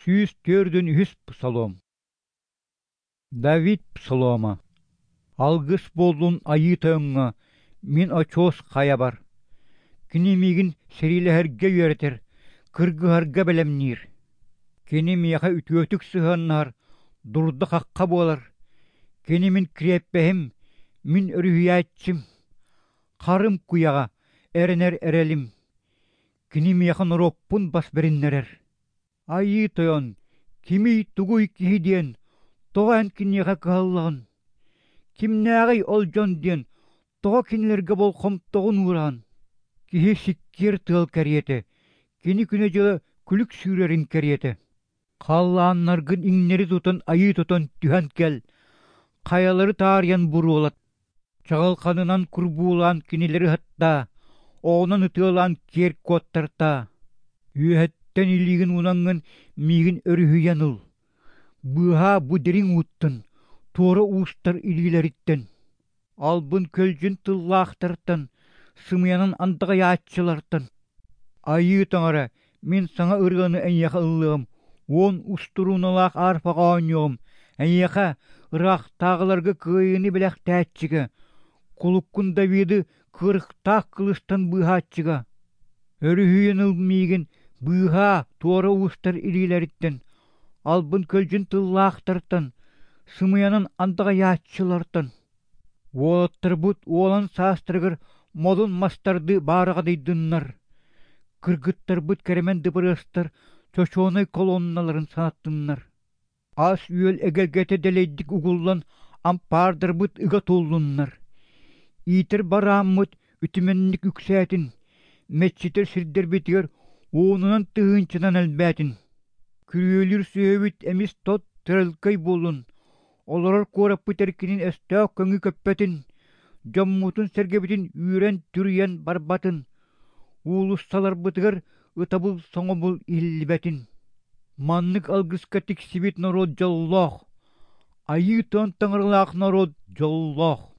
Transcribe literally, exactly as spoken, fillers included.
Сүүс түөртүн үһүс псалом. Давид псалома. Алгыс буоллун Айыы Тойоҥҥо, мин очуос хайабар. Кини миигин сэриилэһэргэ үөрэтэр, кыргыһарга бэлэмниир. Кини миэхэ үтүөтүк сыһыаннаһар, дурда-хахха буолар. Кини мин кириэппэһим, мин өрүһүйээччим. Харым куйаҕа, эрэнэр эрэлим. Кини миэхэ норуоппун бас бэриннэрэр. Айыы Тойон, кимий-тугуй киһи диэн, тоҕо эн киниэхэ кыһаллаҕын? Кимнээҕий ол дьон диэн, тоҕо кинилэргэ болҕомтоҕун уураҕын? Киһи сиккиэр тыал кэриэтэ, кини күнэ-дьыла күлүк сүүрэрин кэриэтэ. Халлааннаргын иҥнэри тутан айыы тутан түһэн кэл, хайалары таарыйан буруолат, чаҕылханынан курбуулаан кинилэри ыһаттаа, оҕунан ытыалаан киэр куоттартаа. Үөһэттэн илиигин уунаҥҥын миигин өрүһүйэн ыл, быыһаа бу дириҥ ууттан, туора уустар илиилэриттэн. Албын-көлдьүн тыллаахтартан, сымыйанан андаҕайааччылартан. Айыы Таҥара, мин саҥа ырыаны эйиэхэ ыллыаҕым, уон устурууналаах арфаҕа оонньуоҕум, эйиэхэ, ыраахтааҕыларга кыайыыны бэлэхтээччигэ, кулуккун Давиды кыырыктаах кылыстан быыһааччыга. Өрүһүйэн ыл миигин, быыһаа туора уустар илиилэриттэн, албын-көлдьүн тыллаахтартан, сымыйанан андаҕайааччылартан. Уолаттарбыт уолан саастарыгар модун мастардыы баараҕадыйдыннар, кыргыттарбыт кэрэмэн дыбарыастар чочуонай колонналарын санаттыннар. Ас-үөл эгэлгэтэ дэлэйдик угуллан ампаардарбыт ыга туллуннар. Иитэр барааммыт үтүмэнник үксээтин, мэччитэр сирдэрбитигэр уонунан тыһыынчанан элбээтин. Күрүөлүүр сүөһүбүт эмис тот төрөлкөй буоллун, олорор куораппыт эркинин өстөөх көҥү көппөтүн, дьоммутун-сэргэбитин үүрэн-түрүйэн барбатын, уулуссаларбытыгар ытабыл-соҥобул иһиллибэтин. Маннык алгыска тиксибит норуот дьоллоох, Айыы Тойон таҥаралаах норуот дьоллоох.